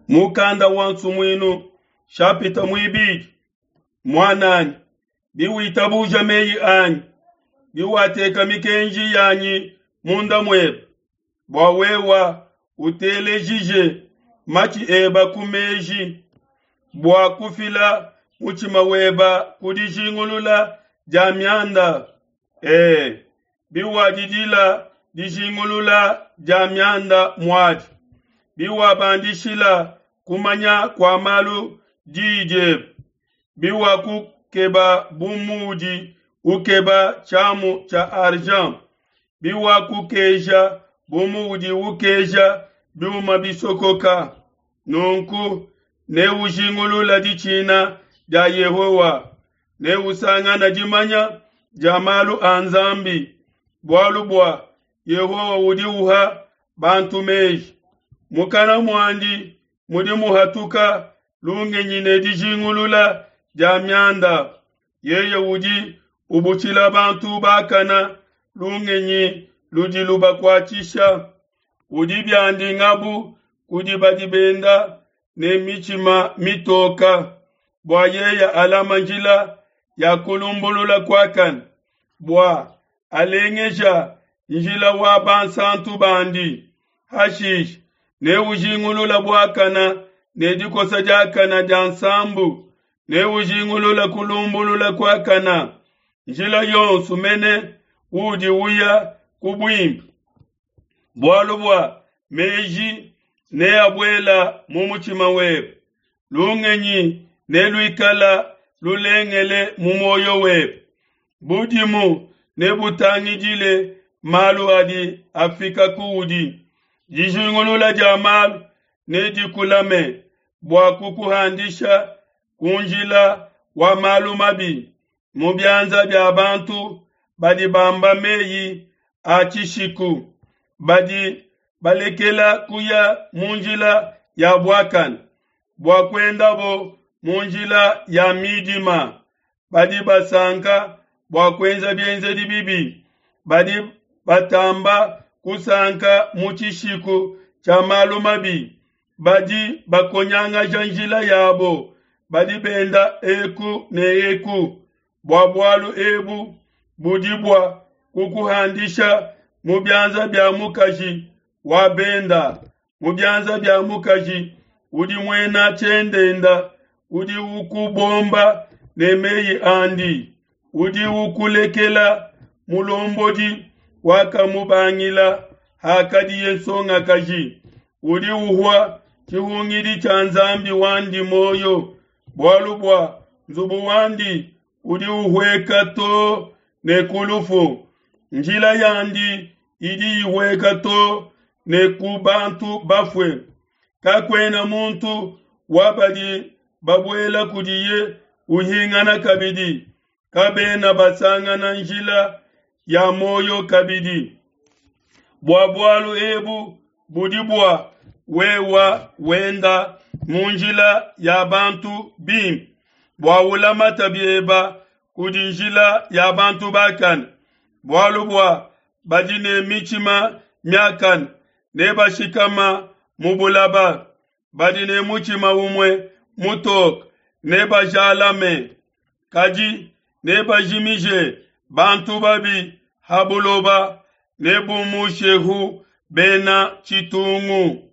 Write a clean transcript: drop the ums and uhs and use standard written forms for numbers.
Mukanda wa Nsumuinu shapita muibidi. Muananyi, biwitabuja meyi anyi, biwateka mikenji yanyi munda muebe, bua wewa utelejije matshi eba ku meji, bua kufila mutshima weba ku dijingulula dia mianda. Ee, biwadidila dijingulula dia mianda muadi, biwabandishila kumanya kua malu diyi diebe, biwakukeba bu muudi ukeba tshiamu tshia argent, biwakukeja bu muudi ukeja biuma bisokoka, nunku neujingulula ditshina dia Yehowa, neusangana dimanya dia malu a Nzambi, bualu bua Yehowa udi uha bantu meji. Mukana muandi mudi muhatuka lungenyi ne dijingulula dia mianda. Yeye udi ubutshila bantu bakana lungenyi ludi lubakuatshisha. Udi biandi ngabu kudi badi benda ne mitshima mitoka, bua yeye alama njila ya kulumbulula kuakane, bua alengeja njila wa bansantu bandi. Hashishe neujingulula buakana ne dikosa diakana dia nsambu, neujingulula kulumbulula kuakana. Njila yonso mene udi uya ku buimpe, bualu bua meji neabuela mu mutshima webe, lungenyi neluikala lulengele mu muoyo webe. Budimu nebutangidile malu adi afika kuudi, dijingulula dia malu nedikulame bua kukuhandisha ku njila wa malu mabi, mu bianza bia bantu badi bamba meyi a tshishiku, badi balekela kuya mu njila ya buakane, bua kuendabo mu njila ya midima. Badi basanka bua kuenza bienzedi bibi, badi batamba kusanka mu tshishiku tshia malu mabi, badi bakonyangaja njila yabo, badi benda eku ne eku. Bua bualu ebu budi bua kukuhandisha mu bianza bia mukaji wa benda, mu bianza bia mukaji udi muena tshiendenda, udi ukubomba ne meyi andi, udi ukulekela mulombodi wakamubangila hakadiye nsongakaji, udi uhua tshihungidi tshia Nzambi wandi moyo, bualu bua nzubu wandi udi uhueka to ne ku lufu, njila yandi idi ihueka to ne ku bantu bafue. Kakuena muntu wa badi babuela kudiye uhingana kabidi, kabena basangana njila ya muoyo kabidi. Bua bualu ebu budi bua wewa wenda mu njila ya bantu bimpe, bua ulamata bieba kudi njila ya bantu bakane, bualu bua badi ne mitshima miakane nebashikama mu bulaba, badi ne mutshima umue mutoke nebajalame, kadi nebajimije bantu babi ha buloba, nebumushehu bena tshitungu.